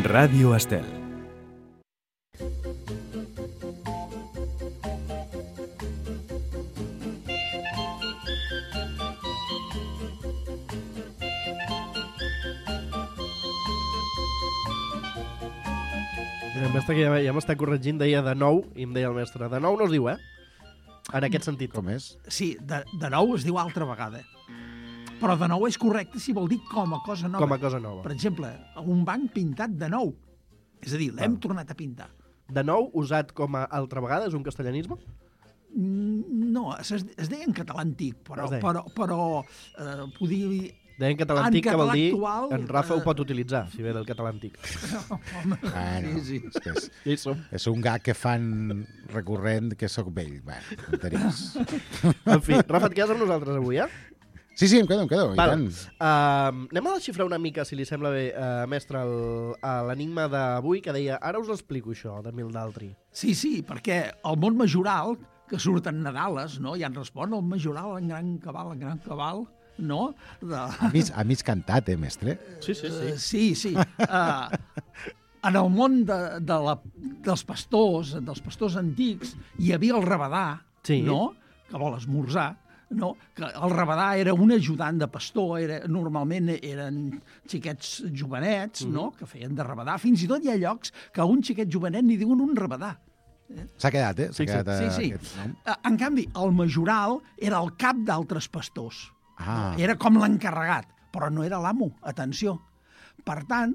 Ràdio Estel. El mestre que ja m'està corregint deia de nou, i em deia el mestre, de nou no es diu, en aquest sentit. Com és? Sí, de nou es diu altra vegada. Però de nou és correcte si vol dir com a cosa nova. Com a cosa nova. Per exemple, un banc pintat de nou. És a dir, l'hem tornat a pintar. De nou, usat com a altra vegada, és un castellanisme? No, es deia en català antic, però podia dir... Deia en català antic, que vol dir actual, en Rafa ho pot utilitzar, si ve del català antic. Home, Bueno, sí. és, Ja hi som. és un gag que fan recurrent que sóc vell. Bueno, tonteries. En fi, Rafa, et quedes amb nosaltres avui, Sí, em quedo, i tant. Anem a desxifrar una mica, si li sembla bé, mestre, l'enigma d'avui, que deia, ara us l'explico això, de mil d'altri. Sí, perquè el món majoral, que surten Nadales, no? Ja en respon el majoral, en gran cabal, no? A mig cantat, mestre? Sí. Sí. En el món dels pastors antics, hi havia el rabadà, Sí. no? Que vol esmorzar, no? Que el rabadà era un ajudant de pastor, normalment eren xiquets jovenets, no? Que feien de rabadà. Fins i tot hi ha llocs que a un xiquet jovenet n'hi diuen un rabadà. S'ha quedat, Sí. aquest nom. En canvi, el majoral era el cap d'altres pastors. Ah. Era com l'encarregat, però no era l'amo, atenció. Per tant,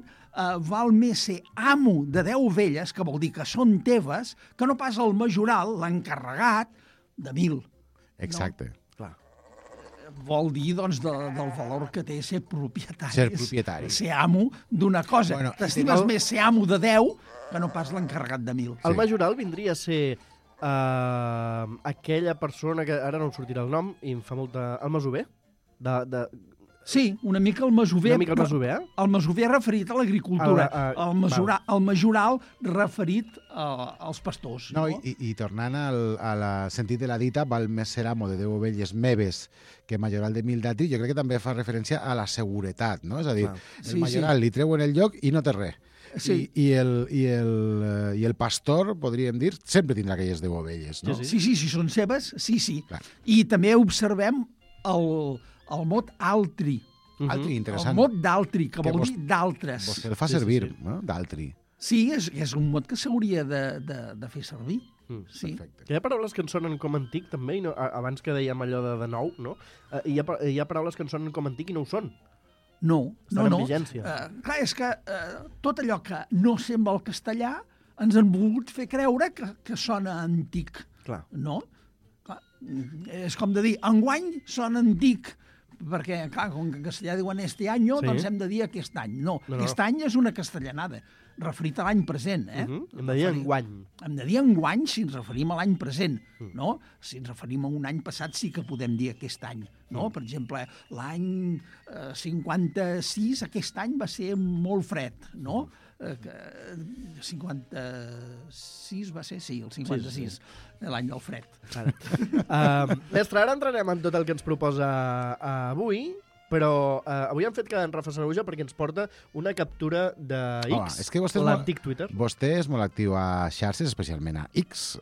val més ser amo de 10 ovelles, que vol dir que són teves, que no pas el majoral, l'encarregat, de 1.000. Exacte. Clar. Vol dir, doncs, del valor que té ser propietari. Ser propietari. Ser amo d'una cosa. Bueno, T'estimes més ser amo de 10 que no pas l'encarregat de 1.000. El majoral vindria a ser aquella persona que ara no em sortirà el nom i em fa molta... El masover? Sí, una mica el masover. Una mica el masover, El masover referit a l'agricultura. El majoral referit als pastors. No, i tornant al sentit de la dita, val més ser amo de 10 ovelles meves que majoral de 1.000 d'altri, jo crec que també fa referència a la seguretat, no? És a dir, el majoral li treuen el lloc i no té res. Sí. I el pastor, podríem dir, sempre tindrà aquelles 10 ovelles, no? Sí, si són seves, sí. Clar. I també observem el mot altri. Altri, interessant. El mot d'altri, que Que vol dir d'altres. Vostè el fa servir, no? D'altri. Sí, és un mot que s'hauria de fer servir. Sí. Perfecte. Que hi ha paraules que en sonen com antic, també, i no, abans que dèiem allò de nou, no? Hi ha paraules que en sonen com antic i no ho són. No. Estan en vigència. Clar, és que tot allò que no sembla el castellà ens han volgut fer creure que sona antic. Clar. No? Clar, és com de dir, enguany sona antic, perquè, clar, com que en castellà diuen este año, doncs hem de dir aquest any. No, aquest any és una castellanada, referit a l'any present. Hem de dir enguany. Hem de dir enguany si ens referim a l'any present, no? Si ens referim a un any passat sí que podem dir aquest any, no? Per exemple, l'any 56, aquest any va ser molt fred, no? 56 va ser, sí, el 56, l'any del fred. Mestre, ara entrarem en tot el que ens proposa avui, però avui hem fet quedar en Rafa Sanahuja perquè ens porta una captura de X, és que vostè l'antic Twitter. Vostè és molt actiu a xarxes, especialment a X.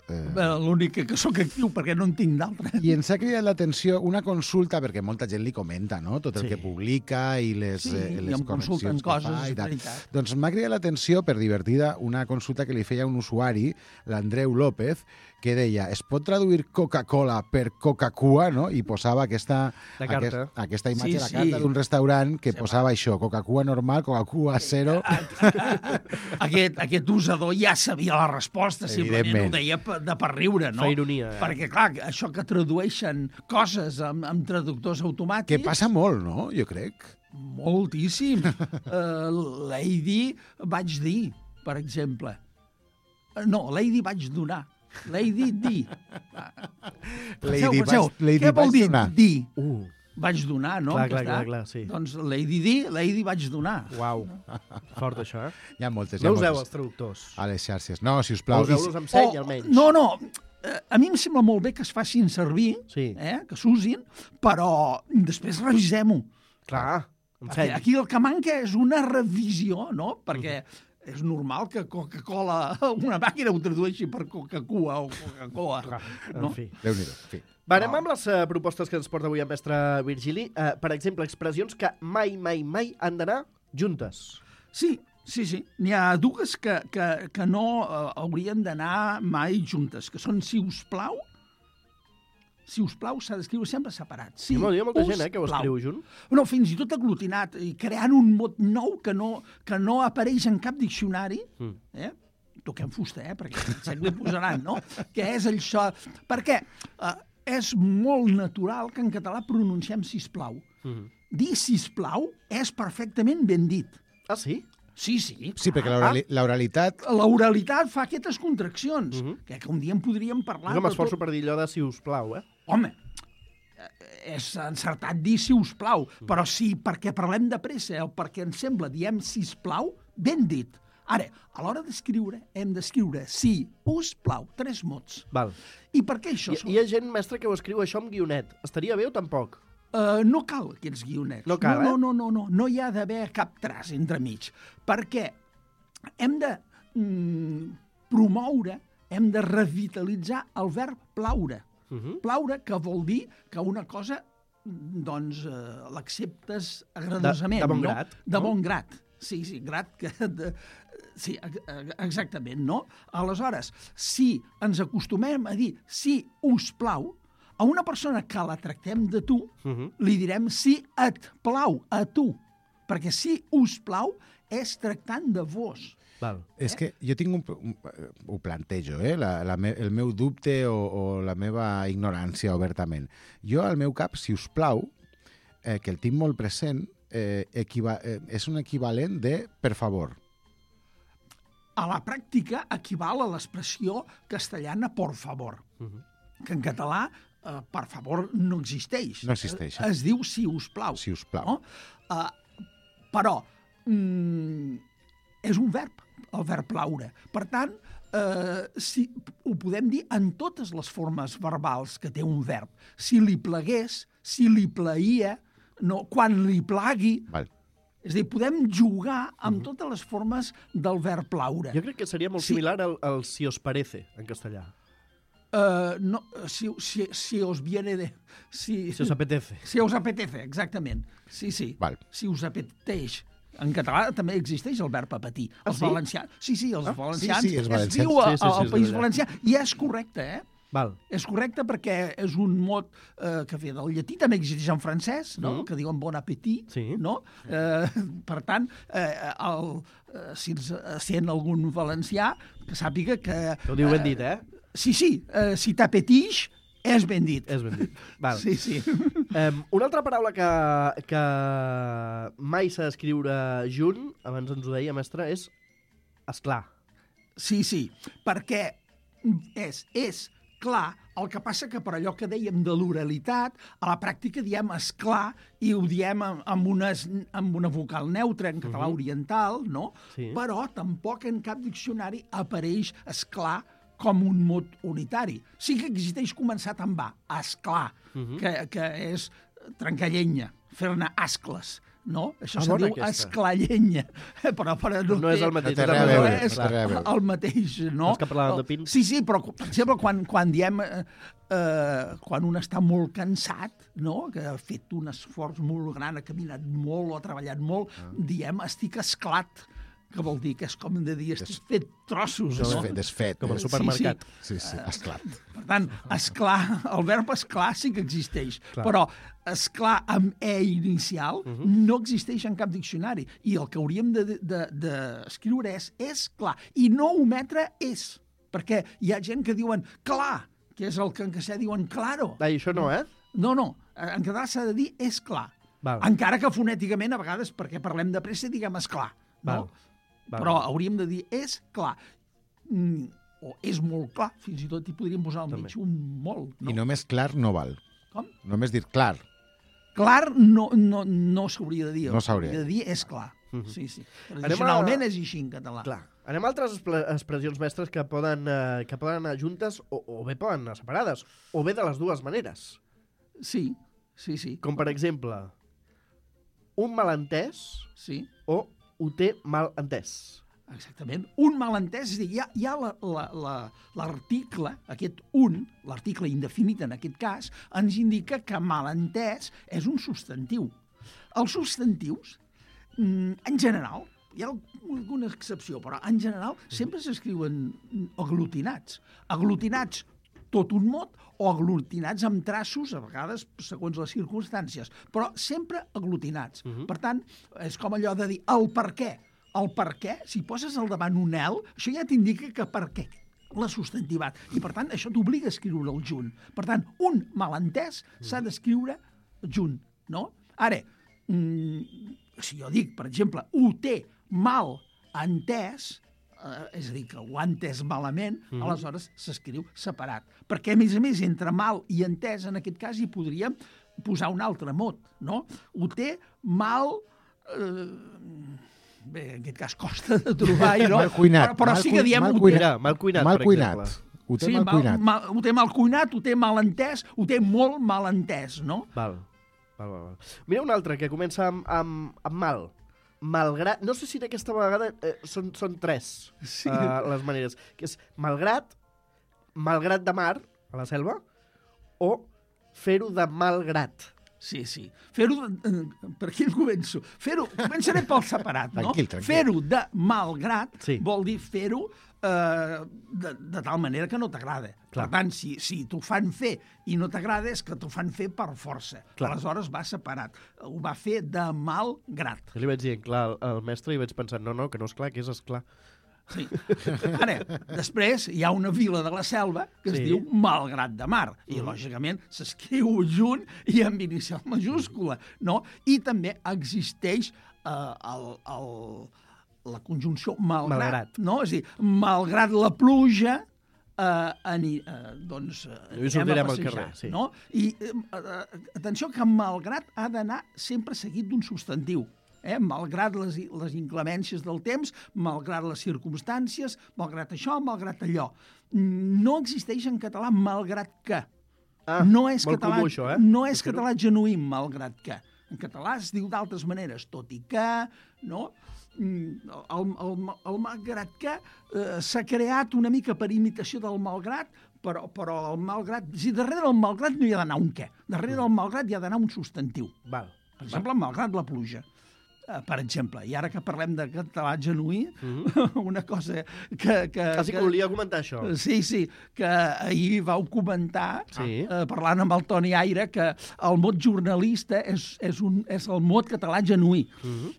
L'únic que sóc actiu, perquè no en tinc d'altre. I ens ha cridat l'atenció una consulta, perquè molta gent li comenta, no?, tot el que publica i les correccions que fa i tal. Doncs m'ha cridat l'atenció, per divertida, una consulta que li feia un usuari, l'Andreu López, que deia, es pot traduir Coca-Cola per Coca-Cua, no? I posava aquesta imatge a la carta d'un restaurant que posava això, Coca-Cua normal, Coca-Cua zero. Aquest usador ja sabia la resposta, simplement ho deia per riure, no? Fa ironia. Perquè, clar, això que tradueixen coses amb traductors automàtics... Que passa molt, no?, jo crec. Moltíssim. Lady vaig dir, per exemple. No, Lady vaig donar. Lady di. Què vol dir dir? Vaig donar, no? Clar, sí. Doncs Lady di, Lady vaig donar. Uau, fort això, Hi ha moltes. No useu els traductors. A les xarxes. No, sisplau. Useu-los amb seny, almenys. No, a mi em sembla molt bé que es facin servir, que s'usin, però després revisem-ho. Clar, amb seny. Aquí el que manca és una revisió, no? Perquè és normal que Coca-Cola, una màquina ho tradueixi per Coca-Cua o Coca-Cola. En fi. Déu-n'hi-do, en fi. Va, anem amb les propostes que ens porta avui el mestre Virgili. Per exemple, expressions que mai han d'anar juntes. Sí. N'hi ha dues que no haurien d'anar mai juntes, que són si us plau s'ha d'escriure sempre separat. Hi ha molta gent que ho escriu junt. No, fins i tot aglutinat, i creant un mot nou que no apareix en cap diccionari. Toquem fusta, perquè segle posaran, no? Què és això? Perquè és molt natural que en català pronunciem sisplau. Dir sisplau és perfectament ben dit. Ah, sí? Sí. Sí, perquè l'oralitat... L'oralitat fa aquestes contraccions, que un dia en podríem parlar. Jo m'esforço per dir allò de si us plau, Home, és encertat dir si us plau, però sí, perquè parlem de pressa o perquè ens sembla, diem sisplau, ben dit. Ara, a l'hora d'escriure, hem d'escriure si us plau, 3 mots. Val. I per què això? Hi ha gent, mestre, que ho escriu això amb guionet. Estaria bé o tampoc? No cal aquests guionets. No cal, No. No hi ha d'haver cap traç entremig. Perquè hem de promoure, hem de revitalitzar el verb plaure. Plaure, que vol dir que una cosa, doncs, l'acceptes agradosament. De bon grat. De bon grat. Sí, grat que... Sí, exactament, no? Aleshores, si ens acostumem a dir si us plau, a una persona que la tractem de tu, li direm si et plau, a tu. Perquè si us plau és tractant de vos. Val. És que jo tinc ho plantejo, el meu dubte o la meva ignorància obertament. Jo, al meu cap, si us plau, que el tinc molt present, és un equivalent de per favor. A la pràctica equival a l'expressió castellana por favor, que en català per favor no existeix. No existeix. Es diu si us plau. Si us plau. No? Però és un verb, el verb plaure. Per tant, ho podem dir en totes les formes verbals que té un verb. Si li plagués, si li plaïa, no, quan li plagui... Val. És a dir, podem jugar amb totes les formes del verb plaure. Jo crec que seria molt similar al si os parece, en castellà. No, si os viene de... Si os apetece. Si os apetece, exactament. Sí. Val. Si us apeteix. En català també existeix el verb apetir. Els valencians... Sí, els valencians. Sí, els valencians. Es diu al País Valencià. I és correcte, Val. És correcte perquè és un mot que ve del llatí, també existeix en francès, no? Que diuen bon appétit, no? Per tant, si ens sent algun valencià, que sàpiga que... Ho diu ben dit, Sí, si t'apetix, és ben dit. És ben dit. Val. Sí. Una altra paraula que mai s'ha d'escriure junt, abans ens ho deia, mestre, és esclar. Sí, perquè és clar, el que passa que per allò que dèiem de l'oralitat, a la pràctica diem esclar i ho diem amb una vocal neutra en català oriental, no? Sí. Però tampoc en cap diccionari apareix esclar com un mot unitari. Sí que existeix començat amb A, esclar, que és trencar llenya, fer-ne ascles. No? Això se diu esclallenya. Però no és el mateix. No és el mateix, no? Els que parlàvem de pins. Sí, però, per exemple, quan diem... quan un està molt cansat, no? Que ha fet un esforç molt gran, ha caminat molt o ha treballat molt, diem estic esclat, que vol dir que és com de dir estic fet trossos. Desfet. Com al supermercat. Sí, esclat. Per tant, esclar, el verb esclar sí que existeix, però esclar amb E inicial no existeix en cap diccionari. I el que hauríem d'escriure és clar. I no ometre és. Perquè hi ha gent que diuen clar, que és el que en castellà diuen claro. I això no, No. En català s'ha de dir és clar. Val. Encara que fonèticament, a vegades, perquè parlem de pressa, diguem esclar. No? Val. Però hauríem de dir és clar. O és molt clar, fins i tot hi podríem posar al mig un molt. No? I només clar no val. Com? Només dir clar. Clar no s'hauria de dir. No s'hauria de dir és clar. Sí. Tradicionalment és així en català. Clar. Anem a altres expressions mestres que poden anar juntes o bé poden anar separades, o bé de les dues maneres. Sí. Com per exemple, un malentès sí. o ho té mal entès. Exactament. Un malentès, és a dir, hi ha l'article, aquest un, l'article indefinit en aquest cas, ens indica que malentès és un substantiu. Els substantius, en general, hi ha alguna excepció, però en general sempre s'escriuen aglutinats. Aglutinats tot un mot o aglutinats amb traços, a vegades segons les circumstàncies, però sempre aglutinats. Per tant, és com allò de dir el per què. El per què, si poses al davant un el, això ja t'indica que per què l'ha substantivat. I, per tant, això t'obliga a escriure'l junt. Per tant, un malentès s'ha d'escriure junt, no? Ara, si jo dic, per exemple, ho té mal entès, és a dir, que ho ha entès malament, aleshores s'escriu separat. Perquè, a més, entre mal i entès, en aquest cas, hi podríem posar un altre mot, no? Ho té mal... Bé, en aquest cas costa de trobar, no? Mal cuinat. Però sí que diem... Mal cuinat, per exemple. Ho té mal cuinat. Ho té mal cuinat, ho té mal entès, ho té molt mal entès, no? Val. Mira un altre que comença amb mal. Malgrat... No sé si d'aquesta vegada són tres les maneres. Que és malgrat de mar, a la selva, o fer-ho de malgrat. Sí. Fer-ho... Per aquí començo. Començaré pel separat, no? Tranquil. Fer-ho de malgrat vol dir fer-ho de tal manera que no t'agrada. Per tant, si t'ho fan fer i no t'agrada, és que t'ho fan fer per força. Aleshores va separat. Ho va fer de malgrat. Jo li vaig dir, clar, al mestre i vaig pensar, no, que no és clar, que és esclar. Sí. Ara, després hi ha una vila de la selva que es diu Malgrat de Mar i, lògicament, s'escriu junt i amb inicial majúscula, no? I també existeix la conjunció malgrat, no? És a dir, malgrat la pluja, doncs anem a passejar, no? I atenció que malgrat ha d'anar sempre seguit d'un substantiu. Malgrat les inclemències del temps, malgrat les circumstàncies, malgrat això, malgrat allò. No existeix en català malgrat que. No és català genuí, malgrat que. En català es diu d'altres maneres, tot i que, no? El malgrat que s'ha creat una mica per imitació del malgrat, però el malgrat... Si darrere del malgrat no hi ha d'anar un què. Darrere del malgrat hi ha d'anar un substantiu. Per exemple, malgrat la pluja. Per exemple, i ara que parlem de català genuí, una cosa que... Quasi que volia comentar això. Sí, que ahir vau comentar, parlant amb el Toni Aire, que el mot jornalista és el mot català genuí.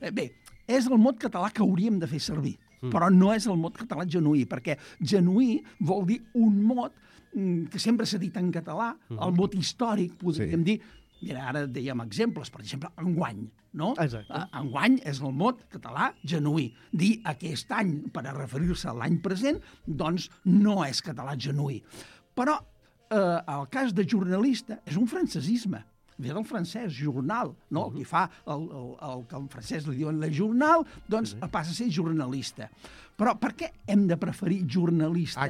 Bé, és el mot català que hauríem de fer servir, però no és el mot català genuí, perquè genuí vol dir un mot que sempre s'ha dit en català, el mot històric, podríem dir. Mira, ara dèiem exemples, per exemple, enguany, no? Enguany és el mot català genuí. Dir aquest any, per a referir-se a l'any present, doncs no és català genuí. Però el cas de jornalista és un francesisme. Ve del francès, jornal, no? El que fa el que en francès li diuen le journal, doncs passa a ser jornalista. Però per què hem de preferir jornalista a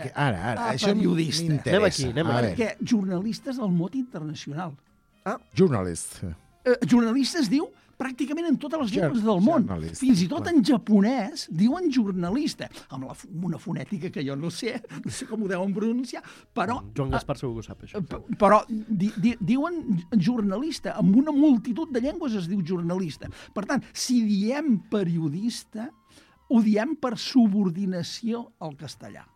periodista? Anem aquí. Perquè jornalista és el mot internacional. Journalist. Jornalista es diu pràcticament en totes les llengües del món. Fins i tot en japonès diuen jornalista, amb una fonètica que jo no sé com ho deuen pronunciar, però... Joan Gaspar segur que ho sap, això. Però diuen jornalista, amb una multitud de llengües es diu jornalista. Per tant, si diem periodista, ho diem per subordinació al castellà.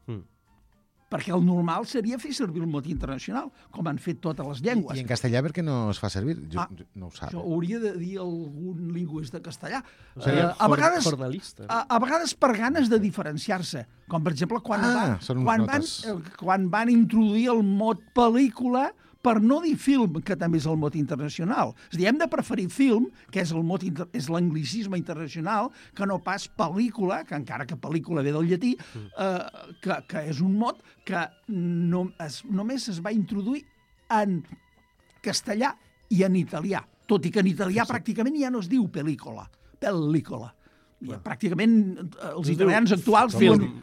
Perquè el normal seria fer servir el mot internacional, com han fet totes les llengües. I en castellà per què no es fa servir? No ho sap. Això hauria de dir algun lingüista castellà. A vegades per ganes de diferenciar-se. Com, per exemple, quan van introduir el mot pel·lícula per no dir film, que també és el mot internacional. És a dir, hem de preferir film, que és l'anglicisme internacional, que no pas pel·lícula, que encara que pel·lícula ve del llatí, que és un mot que només es va introduir en castellà i en italià, tot i que en italià pràcticament ja no es diu pel·lícula. Pràcticament els italians actuals diuen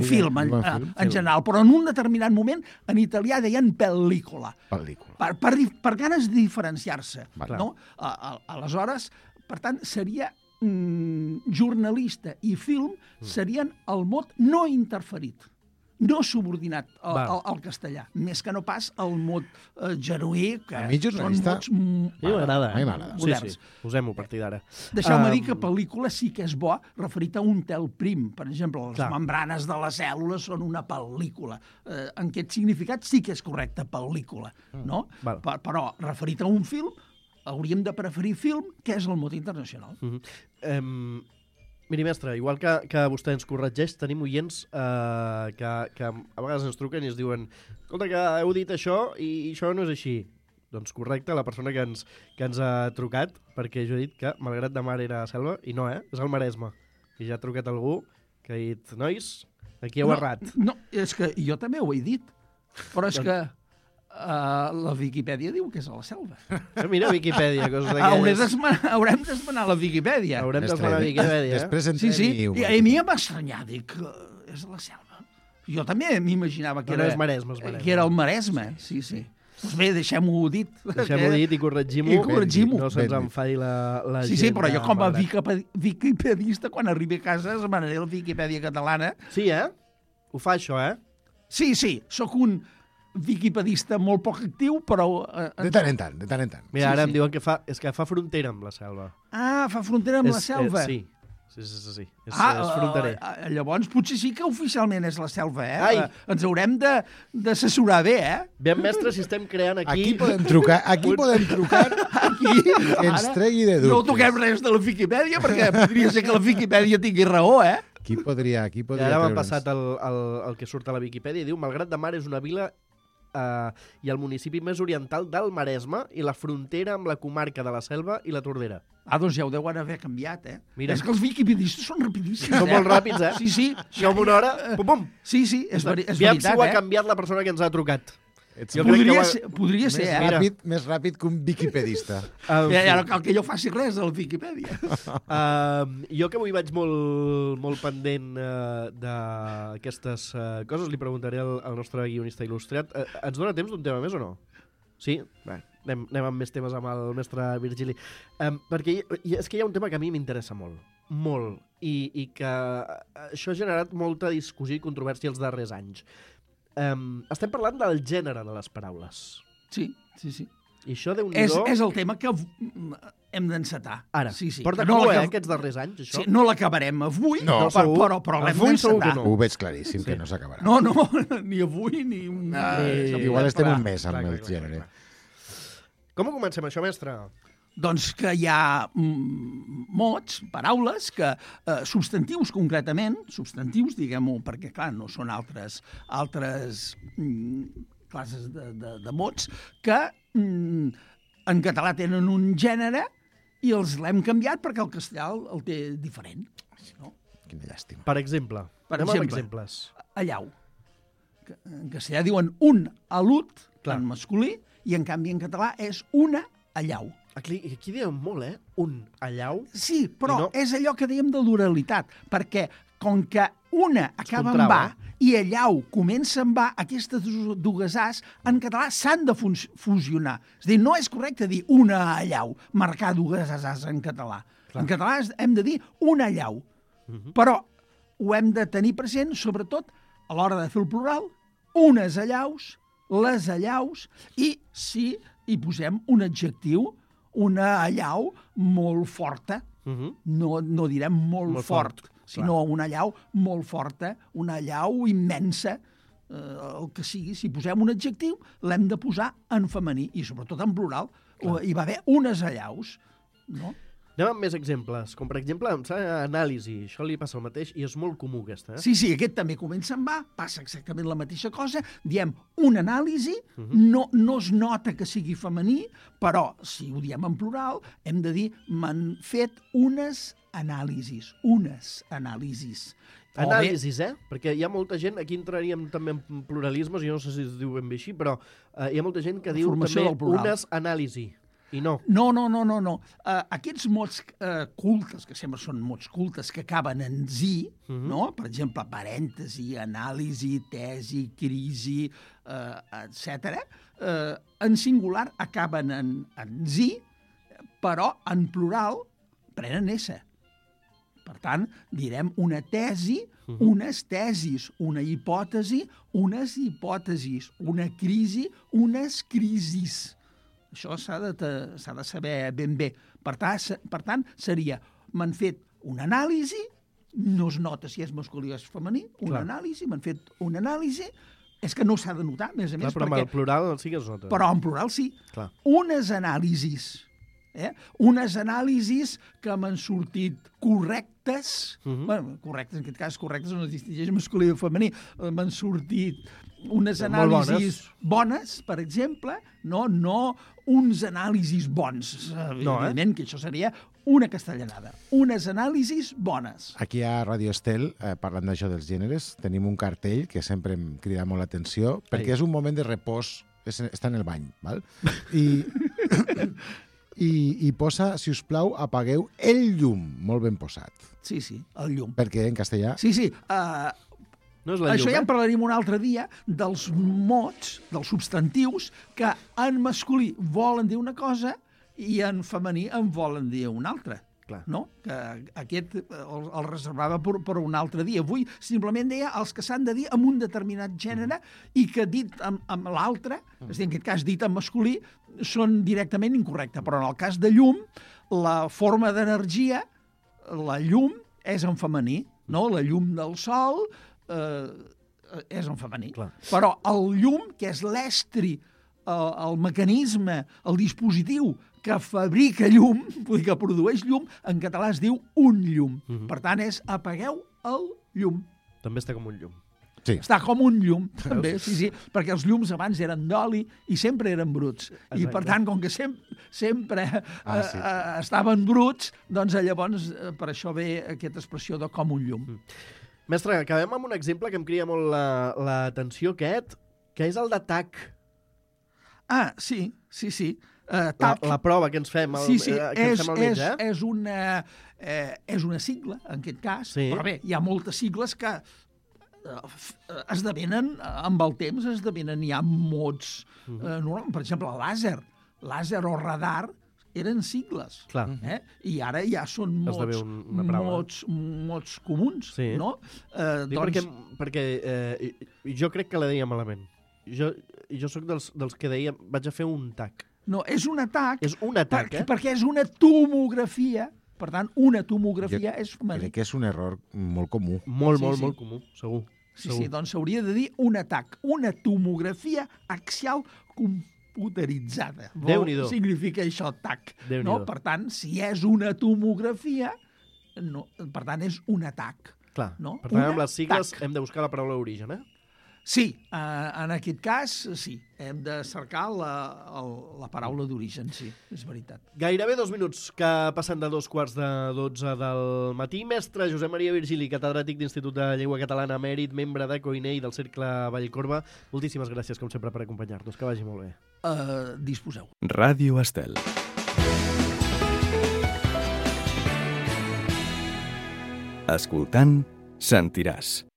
film en general, però en un determinat moment en italià deien pel·lícula. Per ganes de diferenciar-se. Aleshores, per tant, seria jornalista i film serien el mot no interferit, no subordinat al castellà, més que no pas el mot genuí, que a mi jornalista són mots m'agrada. A mi m'agrada. Sí. Posem-ho a partir d'ara. Deixeu-me dir que pel·lícula sí que és bo referit a un tel prim. Per exemple, les membranes de les cèl·lules són una pel·lícula. En aquest significat sí que és correcte, pel·lícula, no? Però referit a un film, hauríem de preferir film, que és el mot internacional. Miri, mestre, igual que vostè ens corregeix, tenim oients que a vegades ens truquen i ens diuen escolta, que heu dit això i això no és així. Doncs correcte, la persona que ens ha trucat, perquè jo he dit que Malgrat de Mar era selva, i no, és el Maresme. I ja ha trucat algú que ha dit, nois, aquí heu errat. No, és que jo també ho he dit, però és que la Viquipèdia diu que és a la selva. Mira, Viquipèdia, coses d'aquelles. Haurem d'esmenar la Viquipèdia. Haurem d'esmenar la Viquipèdia. Després entrem i a mi em va estranyar, dic, és a la selva. Jo també m'imaginava que era el Maresme. Sí. Doncs bé, deixem-ho dit. Deixem-ho dit i corregim-ho. No se'ns enfadi la gent. Sí, però jo com a viquipedista, quan arribi a casa, esmenaré la Viquipèdia catalana. Sí, Ho fa això, Sí, sóc un viquipedista molt poc actiu, però... De tant en tant. Mira, ara em diuen que fa frontera amb la selva. Ah, fa frontera amb la selva? Sí. És fronterer. Llavors potser sí que oficialment és la selva, Ens haurem d'assessorar bé, Bé, mestre, si estem creant aquí... Aquí podem trucar, aquí que ens tregui de dubtes. No toquem res de la Viquipèdia, perquè podria ser que la Viquipèdia tingui raó, Qui podria ara m'ha passat el que surt a la Viquipèdia i diu Malgrat de Mar és una vila i el municipi més oriental del Maresme i la frontera amb la comarca de la Selva i la Tordera. Doncs ja ho deuen haver canviat, Mira. És que els viquipedistes són rapidíssims, Són molt ràpids, Sí. Jo en una hora, pum. Sí, és veritat, Aviam si ho ha canviat la persona que ens ha trucat. Podria ser, Més ràpid que un viquipedista. Ja no cal que jo faci res a la Viquipèdia. Jo que avui vaig molt pendent d'aquestes coses, li preguntaré al nostre guionista il·lustrat. Ens dona temps d'un tema més o no? Sí? Bé, anem amb més temes amb el mestre Virgili. Perquè és que hi ha un tema que a mi m'interessa molt, i que això ha generat molta discussió i controvèrsia els darrers anys. Estem parlant del gènere de les paraules. Sí. I això, Déu-n'hi-do... És el tema que hem d'encetar. Ara, sí. Porta cua, aquests darrers anys, això? Sí, no l'acabarem avui, però l'hem d'encetar. Ho veig claríssim, que no s'acabarà. No, ni avui, ni... Igual estem un mes amb el gènere. Com ho comencem, això, mestre? Doncs que hi ha mots, paraules, que substantius concretament, diguem-ho, perquè clar, no són altres classes de mots, que en català tenen un gènere i els l'hem canviat perquè el castellà el té diferent. No? Quina llàstima. Per exemple, anem amb exemples. Allau. En castellà diuen un alut, en masculí, i en canvi en català és una allau. Aquí diem molt, un allau. Sí, però és allò que dèiem de l'oralitat, perquè com que una acaba en va i allau comença en va, aquestes dues as en català s'han de fusionar. És a dir, no és correcte dir una allau, marcar dues as en català. En català hem de dir una allau. Però ho hem de tenir present, sobretot, a l'hora de fer el plural, unes allaus, les allaus, i si hi posem un adjectiu, una allau molt forta, no direm molt fort, sinó una allau molt forta, una allau immensa, el que sigui. Si posem un adjectiu, l'hem de posar en femení, i sobretot en plural. Hi va haver unes allaus, no? Anem amb més exemples, com per exemple anàlisi. Això li passa el mateix i és molt comú aquesta. Sí, aquest també comença en va, passa exactament la mateixa cosa. Diem un anàlisi, no es nota que sigui femení, però si ho diem en plural hem de dir m'han fet unes anàlisis. Anàlisis, Perquè hi ha molta gent, aquí entraríem també en pluralismes, jo no sé si es diu ben bé així, però hi ha molta gent que diu també unes anàlisi. I no. No. Aquests mots cultes, que sempre són mots cultes, que acaben en zi, no? Per exemple, parèntesi, anàlisi, tesi, crisi, etc. En singular acaben en zi, però en plural prenen S. Per tant, direm una tesi, unes tesis, una hipòtesi, unes hipòtesis, una crisi, unes crisis. Això s'ha de saber ben bé. Per tant, seria, m'han fet una anàlisi, no es nota si és masculí o és femení, una anàlisi, m'han fet una anàlisi, és que no s'ha de notar, a més, clar, però amb el plural sí que es nota. Però en plural sí. Clar. Unes anàlisis, unes anàlisis que m'han sortit correctes, bueno, correctes, en aquest cas correctes no es distingeix masculí o femení, m'han sortit unes anàlisis bones, per exemple, no uns anàlisis bons. Evidentment que això seria una castellanada. Unes anàlisis bones. Aquí a Radio Estel, parlant d'això dels gèneres, tenim un cartell que sempre em crida molt l'atenció, perquè és un moment de repòs, està en el bany, val? I posa, si us plau, apagueu el llum, molt ben posat. Sí, el llum. Perquè en castellà... Sí, no és la llum, això ja en parlarem un altre dia, dels mots, dels substantius, que en masculí volen dir una cosa i en femení en volen dir una altra. Clar. No? Que aquest el reservava per un altre dia. Avui simplement deia els que s'han de dir amb un determinat gènere i que dit amb l'altre, és a dir, en aquest cas dit en masculí, són directament incorrectes. Però en el cas de llum, la forma d'energia, la llum és en femení, no? La llum del sol és en femení. Clar. Però el llum, que és l'estri, el mecanisme, el dispositiu que fabrica llum, vull dir que produeix llum, en català es diu un llum. Per tant, és apagueu el llum. També està com un llum. Sí. Està com un llum, també, sí, perquè els llums abans eren d'oli i sempre eren bruts. Exacte. I, per tant, com que sempre estaven bruts, doncs llavors per això ve aquesta expressió de com un llum. Mestre, acabem amb un exemple que em crida molt l'atenció, aquest, que és el de TAC. Ah, sí. La prova que ens fem al metge. És una sigla, en aquest cas, però bé, hi ha moltes sigles que esdevenen, amb el temps, hi ha mots. Per exemple, làser o radar eren sigles. Clar. I ara ja són mots comuns. Sí. No? Perquè jo crec que la deia malament. Jo sóc dels que deia vaig a fer un TAC. No, és un atac. És un atac, perquè és una tomografia. Per tant, una tomografia és femení. Crec que és un error molt comú. Molt comú, segur. Sí, doncs s'hauria de dir un atac. Una tomografia axial computeritzada. Déu-n'hi-do. Significa això, TAC. No? Per tant, si és una tomografia, per tant, és un atac. Clar. No? Per tant, amb les sigles hem de buscar la paraula origen, Sí, en aquest cas, sí. Hem de cercar la paraula d'origen, sí, és veritat. Gairebé 2 minuts que passen de 2:15 del matí. Mestre Josep Maria Virgili, catedràtic d'Institut de Llengua Catalana, emèrit, membre de COINE i del Cercle Vallcorba. Moltíssimes gràcies, com sempre, per acompanyar-nos. Que vagi molt bé. Disposeu. Ràdio Estel. Escoltant, sentiràs.